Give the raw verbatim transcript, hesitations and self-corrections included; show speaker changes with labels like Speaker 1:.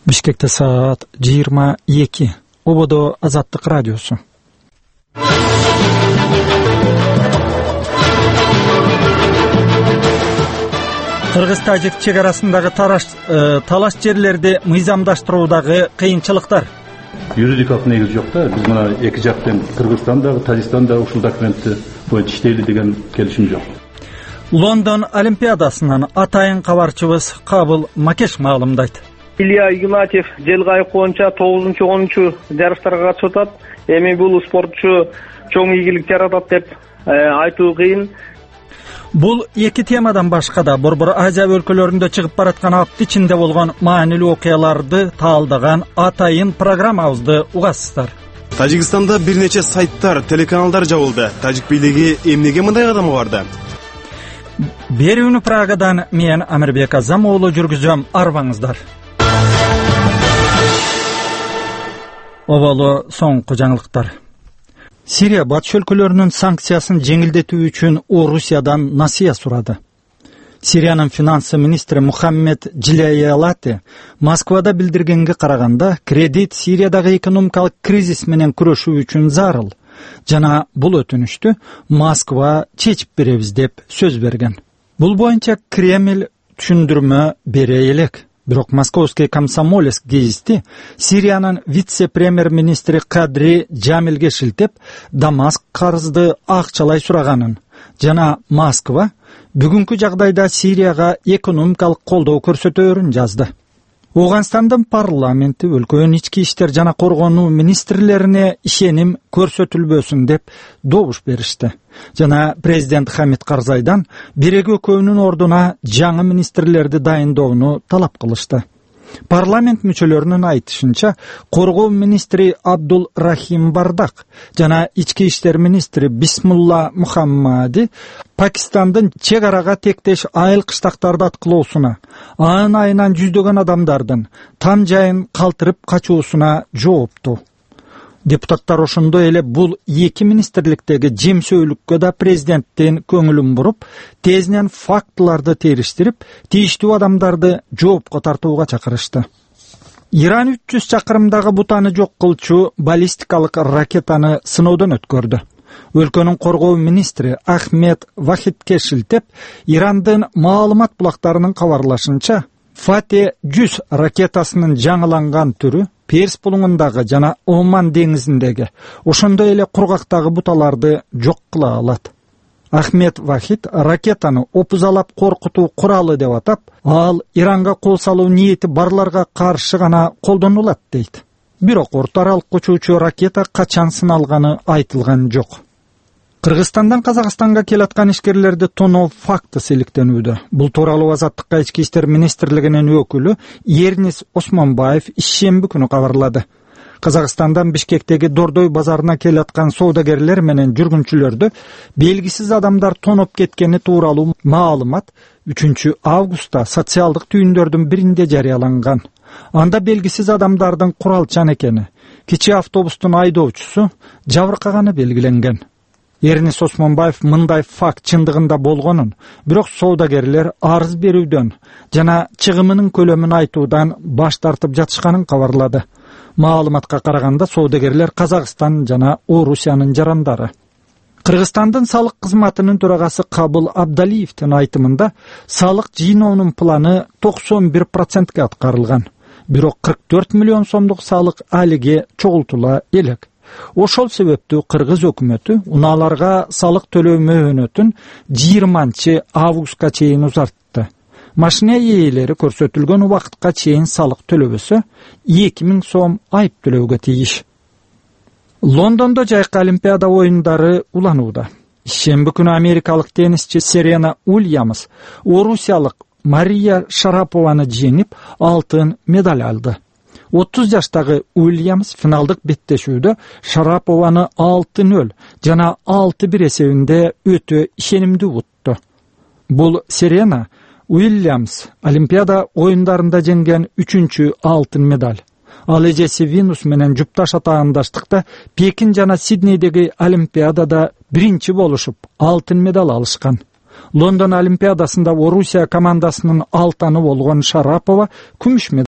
Speaker 1: Бишкекте саат жыйырма эки. Ободо Азаттык радиосу. Кыргыз-тажик чек арасындагы талаш жерлерди мыйзамдаштыруудагы кыйынчылыктар.
Speaker 2: Юридикалык негиз жок да. Биз мына эки жактан Кыргызстан дагы, Тажикстан дагы ушул документти боюнча иштейли деген келишим жок.
Speaker 1: Лондон Олимпиадасынан атайын кабарчыбыз Кабыл Макеш маалымдайт.
Speaker 3: Илья Игнатьев Желгайык боюнча тогузунчу онунчу жарыштарга катышып атат. Эми бул спортчу чоң ийгилик жаратат деп айтуу кыйын.
Speaker 1: Бул эки темадан башка да Борбор Азия өлкөлөрүндө чыгып бараткан апты ичинде болгон маанилүү окуяларды таалдаган атайын программабызды угасыздар.
Speaker 4: Тажикстанда бир нече сайттар, телеканалдар жабылды. Тажик бийлиги эмнеге мындай кадамга барды?
Speaker 1: Берүүнү Прагадан мен Амирбек Азам уулу жүргүзөм. Арбаңыздар. Оболу соңку жаңылыктар. Сирия батыш өлкөлөрүнүн санкциясын жеңилдетүү үчүн Орусиядан насыя сурады. Сириянын финанс министри Мухаммед Джилаялати Москвада билдиргенге караганда, кредит Сириядагы экономикалык кризис менен күрөшүү үчүн зарыл. Жана бул өтүнүштү Москва чечип беребиз деп сөз берген. Бул боюнча Кремль түшүндүрмө бере элек. Бирок Московский комсомолец гезити Сириянын вице-премьер-министри Кадри Джамилге шилтеп, Дамаск карызды акчалай сураганын жана Москва бүгүнкү жагдайда Сирияга экономикалык колдоо көрсөтөөрүн жазды. Оганстандын парламенти өлкөнүн ички иштер жана коргонуу министрлерине ишеним көрсөтүлбөсүн деп добуш беришти. Жана президент Хамид Карзайдан бирегүү көөнүн ордуна жаңы министрлерди дайындоону талап кылышты. Парламент мүчөлөрүнүн айтышынча, коргоо министри Абдул Рахим Бардак жана ички иштер министри Бисмулла Мухаммади Пакистандын чек арага тектеш айыл кыштактарды аткылоосуна, анын айынан жүздөгөн адамдардын там жайын калтырып качуусуна жоопту. Депутаттар ошондой эле бул эки министрликтеги жемсөөлүккө да президенттин көңүлүн буруп, тезинен фактыларды териштирип, тийиштүү адамдарды жоопко тартууга чакырышты. Иран үч жүз чакырымдагы бутаны жок кылчу баллистикалык ракетаны сыноодон өткөрдү. Өлкөнүн коргоо министри Ахмед Вахидке шилтеп, Ирандын маалымат булактарынын кабарлашынча, Фате жүз ракетасынын жаңыланган түрү Перс булуңундагы жана Оман деңизиндеги, ошондой эле кургактагы буталарды жок кыла алат. Ахмед Вахид ракетаны опузалап коркутуу куралы деп атап, ал Иранга кол салуу ниети барларга каршы гана колдонулат дейт. Бирок орто аралык учуучу ракета качан сыналганы айтылган жок. Кыргызстандан Казакстанга келаткан ишкерлерди тоноо факты селектенүүдө. Бул тууралуу Азаттыкка ички иштер министрлигинин өкүлү Ернис Осмонбаев ишемби күнү кабарлады. Казакстандан Бишкектеги Дордой базарына келаткан соодагерлер менен жүргүнчүлөрдү белгисиз адамдар тоноп кеткени тууралуу маалымат үчүнчү августта социалдык түйүндөрдүн биринде жарыяланган. Анда белгисиз адамдардын куралчан экени, кичи автобустун айдоочусу жабыркаганы белгиленген. Ернис Осмонбаев мындай факт чындыгында болгонун, бирок соодагерлер арыз берүүдөн жана чыгымынын көлөмүн айтуудан баш тартып жатышканын кабарлады. Маалыматка караганда соодагерлер Казакстан жана Орусиянын жарандары. Кыргызстандын салык кызматынын төрагасы Кабыл Абдалиевдин айтымында салык жыйноонун планы токсон бир процентке аткарылган. Бирок кырк төрт миллион сомдук салык алиге чогултула элек. Ошол себептүү Кыргыз өкмөтү унааларга салык төлөө мөөнөтүн жыйырманчы августка чейин узартты. Машина ээлери көрсөтүлгөн убакытка чейин салык төлөбөсө эки миң сом айып төлөөгө тийиш. Лондондо жайкы Олимпиада оюндары уланууда. Шемби күнү америкалык теннисчи Серена Уильямс орусиялык Мария Шарапованы жеңип, алтын медаль алды. отуз жаштагы Уильямс финалдык беттешүүдө Шарапованы алты нөл жана алты бир эсебинде өтө ишенимдүү утту. Бул Серена Уильямс Олимпиада оюндарында жеңген үчүнчү алтын медаль. Ал эжеси Винус менен жупташ атаандаштыкта Пекин жана Сиднейдеги Олимпиадада биринчи болушуп алтын медаль алышкан. Лондон Олимпиадасында Орусия командасынын алтыны болгон Шарапова күмүш медаль